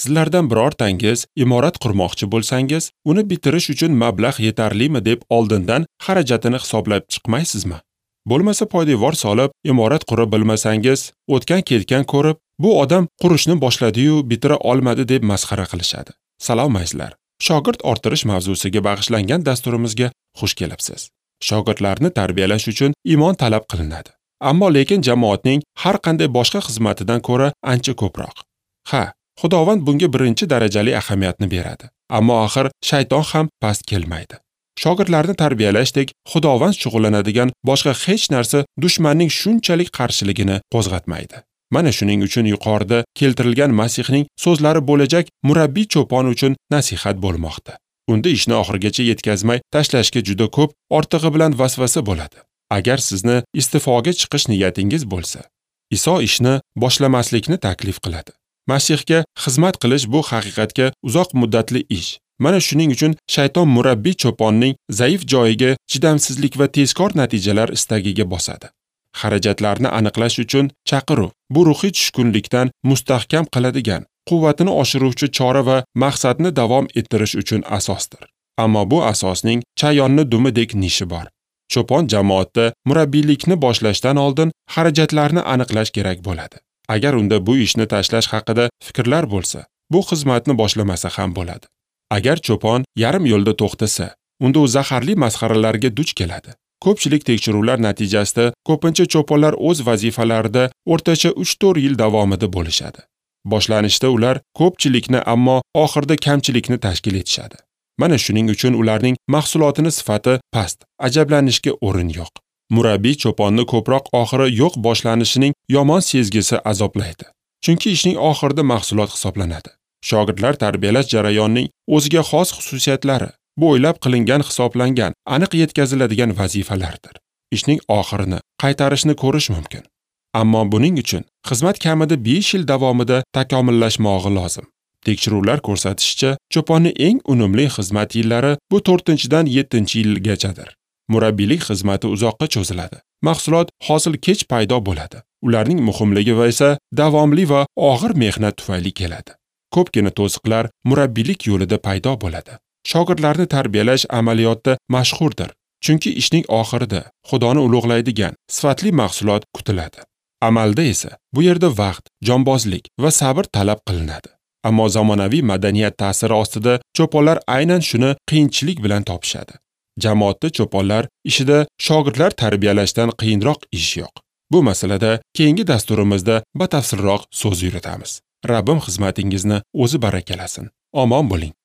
Sizlardan birortangiz imorat qurmoqchi bo'lsangiz, uni bitirish uchun mablag' yetarlimi deb oldindan xarajatini hisoblab chiqmaysizmi? Bo'lmasa poydevor solib, imorat qura bilmasangiz, o'tgan-ketgan ko'rib, bu odam qurishni boshladi-yu bitira olmadi deb masxara qilishadi. Salom azizlar. Shogird orttirish mavzusiga bag'ishlangan dasturimizga xush kelibsiz. Shogirdlarni tarbiyalash uchun iymon talab qilinadi. Ammo lekin jamoatning har qanday boshqa xizmatidan ko'ra ancha ko'proq. Ha, Xudovand bunga birinchi darajali ahamiyatni beradi. Ammo axir shayton ham past kelmaydi. Shogirdlarni tarbiyalashdek Xudovand shug'ullanadigan boshqa hech narsa dushmanning shunchalik qarshiligini qo'zg'atmaydi. Mana shuning uchun yuqorida keltirilgan Masihning so'zlari bo'lajak murabbiy cho'pon uchun nasihat bo'lmoqda. Unda ishni oxirigacha yetkazmay tashlashga juda ko'p ortig'i bilan vasvasa bo'ladi. Agar sizni iste'foga chiqish niyatingiz bo'lsa, Iso ishni boshlamaslikni taklif qiladi. Masihga xizmat qilish bu haqiqatga uzoq muddatli ish. Mana shuning uchun shayton murabbiy cho'ponning zaif joyiga chidamsizlik va tezkor natijalar istagiga bosadi. Xarajatlarni aniqlash uchun chaqiruv bu ruhiy tushkunlikdan mustahkam qiladigan, quvvatini oshiruvchi chora va maqsadni davom ettirish uchun asosdir. Ammo bu asosning chayonni dumidek nishi bor. Cho'pon jamoatda murabbiylikni boshlashdan oldin xarajatlarni aniqlash kerak bo'ladi. Agar unda bu ishni tashlash haqida fikrlar bo'lsa, bu xizmatni boshlamasa ham bo'ladi. Agar cho'pon yarim yo'lda to'xtasa, unda u zaharli masxaralarga duch keladi. Ko'pchilik tekshiruvlar natijasida ko'pincha cho'ponlar o'z vazifalarida o'rtacha 3-4 yil davomida bo'lishadi. Boshlanishda ular ko'pchilikni, ammo oxirida kamchilikni tashkil etishadi. Mana shuning uchun ularning mahsulotini sifati past, ajablanishga o'rin yo'q. Murabbiy cho'ponni ko'proq oxiri yo'q boshlanishining yomon sezgisi azoblaydi. Chunki ishning oxirida mahsulot hisoblanadi. Shogirdlar tarbiyalash jarayonining o'ziga xos xususiyatlari, bu o'ylab qilingan hisoblangan, aniq yetkaziladigan vazifalardir. Ishning oxirini, qaytarishni ko'rish mumkin. Ammo buning uchun xizmat kamida 5 yil davomida takomillashmog'i lozim. Tekshiruvlar ko'rsatishicha, cho'ponning eng unumli xizmat yillari bu 4-dan 7-yilgachadir. Murabbiylik xizmati uzoqqa cho'ziladi. Mahsulot hosil kech paydo bo'ladi. Ularning muhimligi esa davomli va og'ir mehnat tufayli keladi. Ko'pgina to'siqlar murabbiylik yo'lida paydo bo'ladi. Shogirdlarni tarbiyalash amaliyotda mashhurdir. Chunki ishning oxirida Xudoni ulug'laydigan sifatli mahsulot kutiladi. Amalda esa bu yerda vaqt, jonbozlik va sabr talab qilinadi. Ammo zamonaviy madaniyat ta'siri ostida cho'ponlar aynan shuni qiyinchilik bilan topishadi. Jamoatda cho'ponlar ishida shogirdlar tarbiyalashdan qiyinroq ish yo'q. Bu masalada keyingi dasturimizda batafsilroq so'z yuritamiz. Rabbim xizmatingizni o'zi barakalasin. Omon bo'ling.